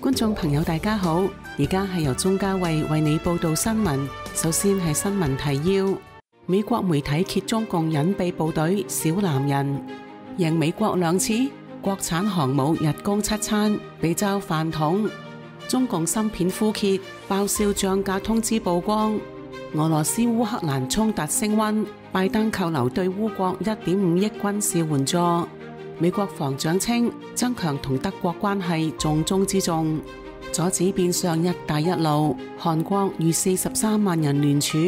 觀眾朋友大家好，而家係由鍾嘉慧為你報道新聞。首先係新聞提要：美國媒體揭中共隱秘部隊小男人贏美國2次，國產航母日供7餐被嘲飯桶。中共芯片枯竭，爆銷漲價通知曝光。俄羅斯烏克蘭衝突升溫，拜登扣留對烏國1.5億軍事援助。美國防長稱增強同德國關係重中之重，阻止變相一帶一路。韓國逾43萬人聯署。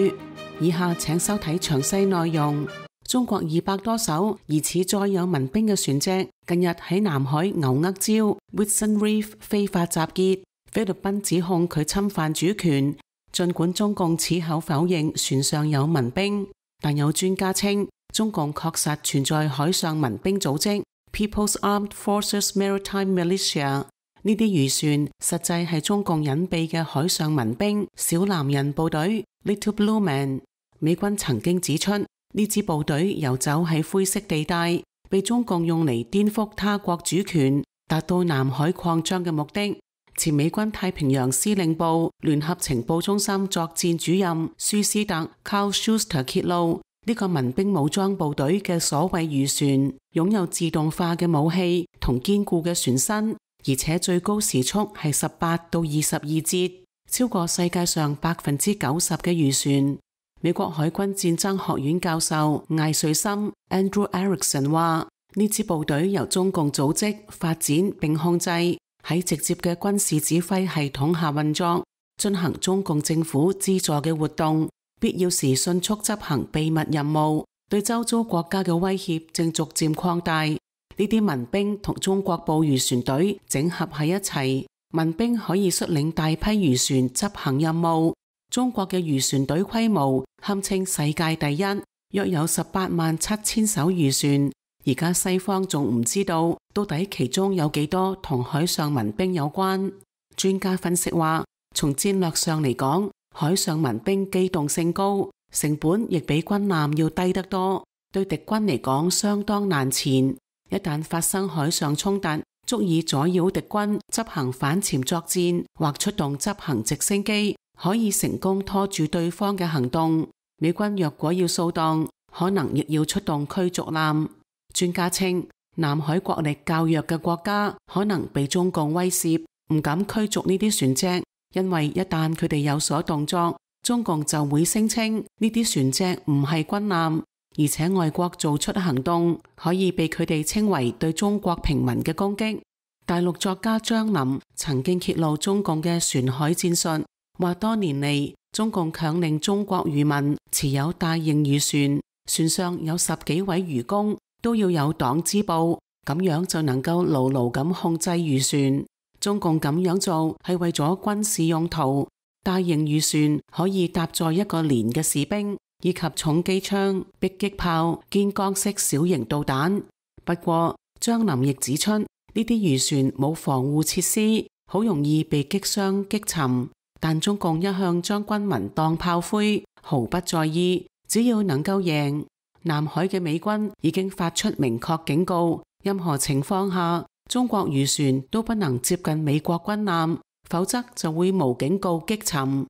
以下請收睇詳細內容。中國200多艘疑似載有民兵嘅船隻近日喺南海牛軛礁 Whidson Reef 非法集結，菲律賓指控佢侵犯主權。儘管中共矢口否認船上有民兵，但有專家稱中共確實存在海上民兵組織 People's Armed Forces Maritime Militia。呢啲漁船實際係中共隱蔽嘅海上民兵小男人部隊 Little Blue Man。美軍曾經指出，呢支部隊游走喺灰色地帶，被中共用嚟顛覆他國主權，達到南海擴張嘅目的。前美軍太平洋司令部聯合情報中心作戰主任舒斯特 Carl Schuster 揭露，呢個民兵武裝部隊嘅所謂漁船擁有自動化嘅武器同堅固嘅船身，而且最高時速係18到22節，超過世界上90%嘅漁船。美國海軍戰爭學院教授艾瑞森 Andrew Erickson 話，呢支部隊由中共組織、發展並控制，喺直接嘅軍事指揮系統下運作，進行中共政府資助嘅活動，必要時迅速執行秘密任務，對周遭國家嘅威脅正逐漸擴大。呢啲民兵同中國捕魚船隊整合喺一齊，民兵可以率領大批漁船執行任務。中國嘅漁船隊規模堪稱世界第一，約有187000艘漁船。而家西方仲唔知道到底其中有幾多同海上民兵有關。專家分析話，從戰略上嚟講，海上民兵機動性高，成本亦比軍艦要低得多，對敵軍嚟講相當難纏。一旦發生海上衝突，足以阻擾敵軍執行反潛作戰，或出動執行直升機，可以成功拖住對方嘅行動。美軍若果要掃蕩，可能亦要出動驅逐艦。專家稱，南海國力較弱嘅國家可能被中共威懾，唔敢驅逐呢啲船隻，因為一旦佢哋有所動作，中共就會聲稱呢啲船隻唔係軍艦，而且外國做出行動可以被佢哋稱為對中國平民嘅攻擊。大陸作家張林曾經揭露中共嘅船海戰術，話多年嚟中共強令中國漁民持有大型漁船，船上有10幾位漁工都要有黨支部，咁樣就能夠牢牢咁控制漁船。中共咁樣做係為咗軍事用途，大型漁船可以搭載1個連嘅士兵，以及重機槍、迫擊炮、肩桿式小型導彈。不過張林亦指出，呢啲漁船冇防護設施，好容易被擊傷擊沉。但中共一向將軍民當炮灰，毫不在意，只要能夠贏。南海嘅美軍已經發出明確警告，任何情況下，中國漁船都不能接近美國軍艦，否則就會無警告擊沉。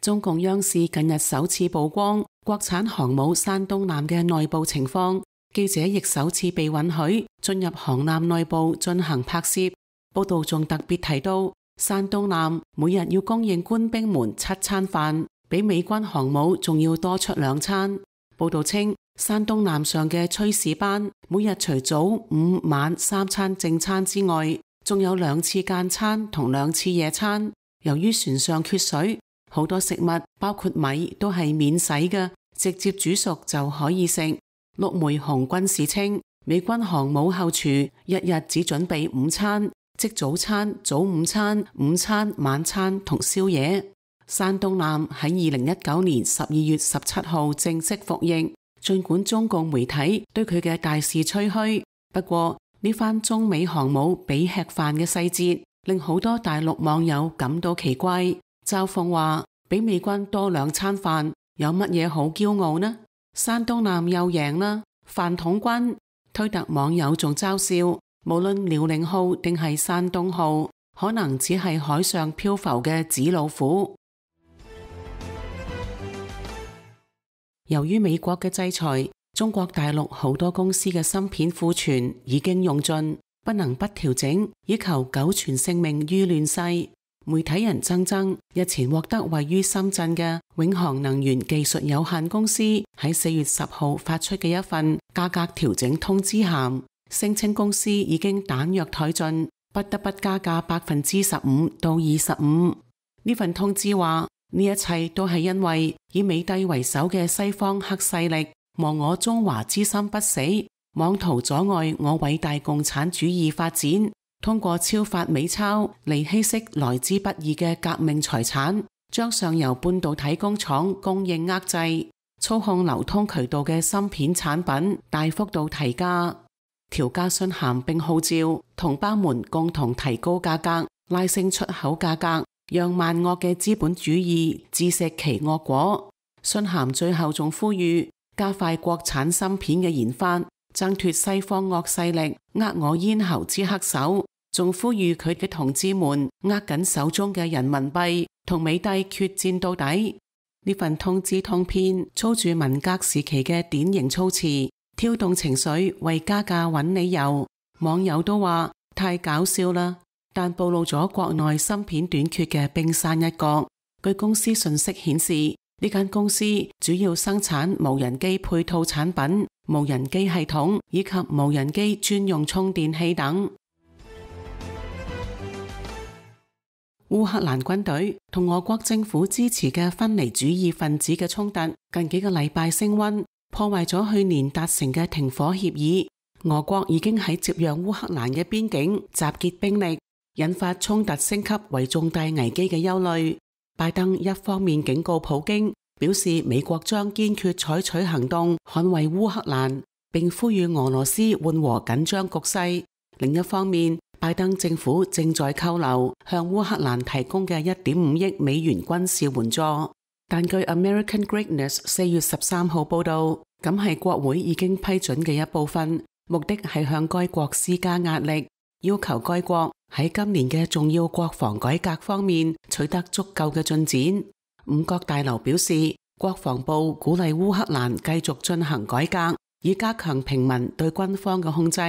中共央視近日首次曝光國產航母山東艦嘅內部情況，記者亦首次被允許進入航艦內部進行拍攝。報道仲特別提到，山東艦每日要供應官兵們7餐飯，比美軍航母仲要多出2餐。報道稱，山東艦上嘅炊事班每日除早午晚3餐正餐之外，仲有2次間餐同2次夜餐。由於船上缺水，好多食物包括米都係免洗嘅，直接煮熟就可以食。陸梅雄軍士稱，美軍航母後廚日日只準備5餐，即早餐、早午餐、午餐、晚餐同宵夜。山東艦喺2019年12月17號正式服役，儘管中共媒體對佢嘅大肆吹噓，不過呢番中美航母比吃飯嘅細節，令好多大陸網友感到奇怪。嘲諷話，比美軍多2餐飯，有乜嘢好驕傲呢？山東艦又贏啦，飯桶軍。推特網友仲嘲笑，無論遼寧號定係山東號，可能只係海上漂浮嘅紙老虎。由於美國嘅制裁，中國大陸好多公司嘅芯片庫存已經用盡，不能不調整，以求苟存性命於亂世。媒體人錚錚日前獲得位於深圳嘅永航能源技術有限公司喺4月10號發出嘅一份價格調整通知函，聲稱公司已經彈藥殆盡，不得不加價15%到25%。呢份通知話，呢一切都係因為以美帝為首嘅西方黑勢力亡我中華之心不死，妄圖阻礙我偉大共產主義發展，通過超發美鈔嚟稀釋來之不易嘅革命財產，將上游半導體工廠供應遏制，操控流通渠道嘅芯片產品大幅度提價。調價信函並號召同胞們共同提高價格，拉升出口價格，讓萬惡嘅資本主義自食其惡果。信函最後仲呼籲加快國產芯片嘅研發，掙脫西方惡勢力扼我咽喉之黑手，仲呼籲佢嘅同志們握緊手中嘅人民幣，同美帝決戰到底。呢份通知通篇操住文革時期嘅典型措辭，挑動情緒，為加價揾理由。網友都話太搞笑啦，但暴露咗國內芯片短缺嘅冰山一角。據公司信息顯示，呢間公司主要生產無人機配套產品、無人機系統以及無人機專用充電器等。烏克蘭軍隊同俄國政府支持嘅分離主義分子嘅衝突近幾個禮拜升溫，破壞咗去年達成嘅停火協議。俄國已經喺接壤烏克蘭嘅邊境集結兵力，引發衝突升級為重大危機嘅憂慮。拜登一方面警告普京，表示美國將堅決採取行動捍衛烏克蘭，並呼籲俄羅斯緩和緊張局勢。另一方面，拜登政府正在扣留向烏克蘭提供嘅1.5億美元軍事援助。但據 American Greatness 4月13號報道，咁係國會已經批准嘅一部分，目的係向該國施加壓力，要求該國喺今年嘅重要國防改革方面取得足夠嘅進展。五角大樓表示，國防部鼓勵烏克蘭繼續進行改革，以加強平民對軍方嘅控制，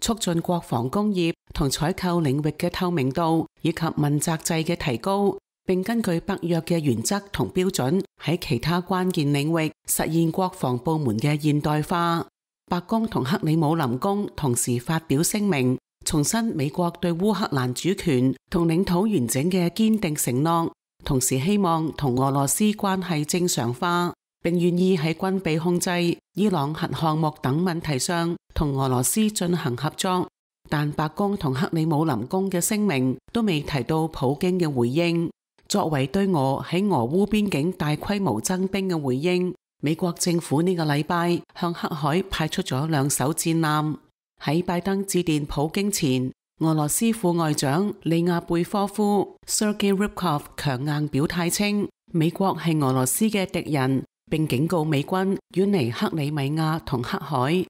促進國防工業同採購領域嘅透明度，以及問責制嘅提高，並根據北約嘅原則同標準，喺其他關鍵領域實現國防部門嘅現代化。白宮同克里姆林宮同時發表聲明，重申美國對烏克蘭主權同領土完整嘅堅定承諾，同時希望同俄羅斯關係正常化，並願意喺軍備控制、伊朗核項目等問題上同俄羅斯進行合作。但白宮同克里姆林宮嘅聲明都未提到普京嘅回應。作為對俄喺俄烏邊境大規模增兵嘅回應，美國政府呢個禮拜向黑海派出咗2艘戰艦。喺拜登致電普京前，俄羅斯副外長利亞貝科夫 Sergei Ryabkov 強硬表態稱，美國係俄羅斯嘅敵人，並警告美軍遠離克里米亞同黑海。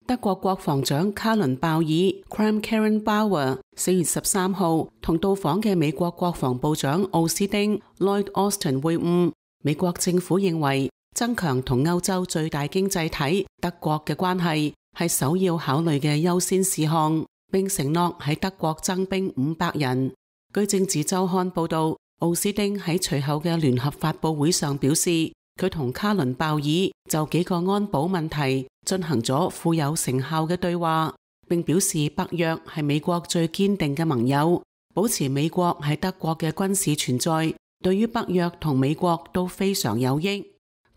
德國國防長卡倫鮑爾 Kram-Karrenbauer 4月13號同到訪嘅美國國防部長奧斯汀 Lloyd Austin 會晤。美國政府認為增強同歐洲最大經濟體德國嘅關係係首要考慮嘅優先事項，並承諾喺德國增兵500人。據政治週刊報道，奧斯汀喺隨後嘅聯合發佈會上表示，佢同卡倫鮑爾就幾個安保問題進行咗富有成效嘅對話，並表示北約係美國最堅定嘅盟友，保持美國喺德國嘅軍事存在，對於北約同美國都非常有益。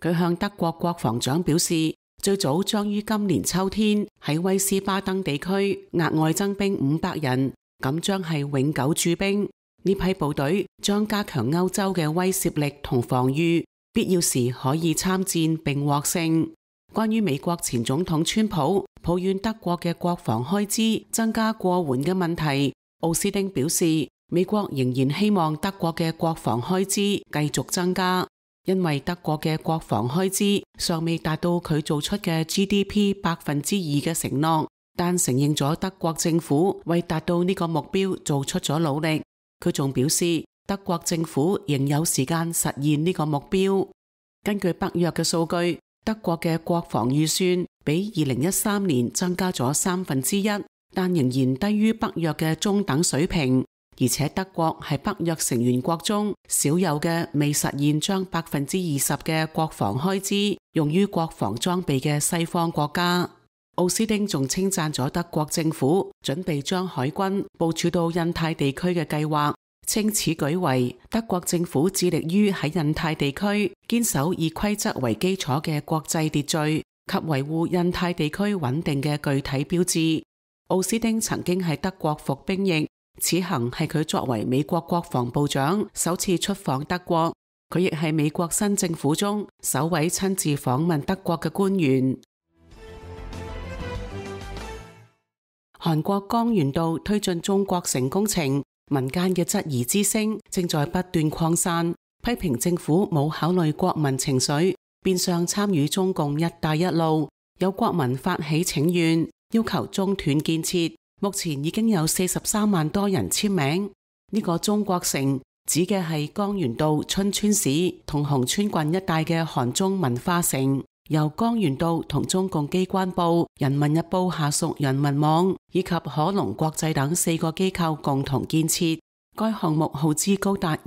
佢向德國國防長表示，最早將於今年秋天喺威斯巴登地區額外增兵500人，咁將係永久駐兵。呢批部隊將加強歐洲嘅威懾力同防禦，必要時可以參戰並獲勝。關於美國前總統川普抱怨德國嘅國防開支增加過緩嘅問題，奧斯汀表示，美國仍然希望德國嘅國防開支繼續增加。因為德國嘅國防開支尚未達到佢做出嘅 GDP 2% 嘅承諾，但承認咗德國政府為達到呢個目標做出咗努力。佢仲表示，德國政府仍有時間實現呢個目標。根據北約嘅數據，德國嘅國防預算比2013年增加咗1/3，但仍然低於北約嘅中等水平。而且德國係北約成員國中少有嘅未實現將20%嘅國防開支用於國防裝備嘅西方國家。奧斯汀仲稱讚咗德國政府準備將海軍部署到印太地區嘅計劃，稱此舉為德國政府致力於喺印太地區堅守以規則為基礎嘅國際秩序及維護印太地區穩定嘅具體標誌。奧斯汀曾經喺德國服兵役，此行係佢作為美國國防部長首次出訪德國，佢亦係美國新政府中首位親自訪問德國嘅官員。韓國江原道推進中國城工程，民間嘅質疑之聲正在不斷擴散，批評政府冇考慮國民情緒，變相參與中共一帶一路。有國民發起請願，要求中斷建設。目前已經有43萬多人簽名。呢個中國城指嘅係江原道春川市同洪川郡一帶嘅韓中文化城，由江原道同中共機關報、人民日報下屬人民網以及可隆國際等4個機構共同建設。該項目耗資高達1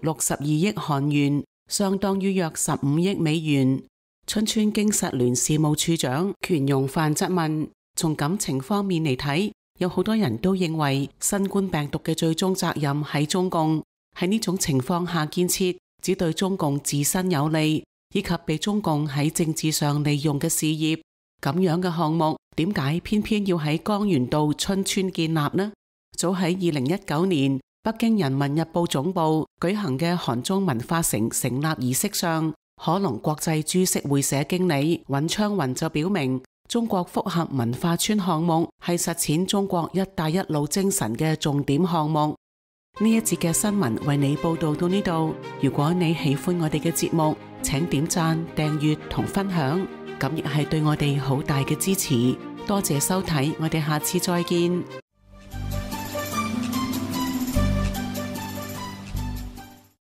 兆62億韓元，相當於約15億美元。春川經實聯事務處長權容範質問：從感情方面嚟睇，有好多人都認為新冠病毒嘅最終責任喺中共，喺呢種情況下建設只對中共自身有利，以及被中共喺政治上利用嘅事業。咁樣嘅項目點解偏偏要喺江原道春川建立呢？早喺2019年北京人民日報總部舉行嘅韓中文化城成立儀式上，可隆國際株式會社經理尹昌雲就表明，中國複合文化村項目係實踐中國一帶一路精神嘅重點項目。呢一節嘅新聞為你報道到呢度。如果你喜歡我哋嘅節目，請點讚、訂閱同分享，咁亦係對我哋好大嘅支持。多謝收睇，我哋下次再見。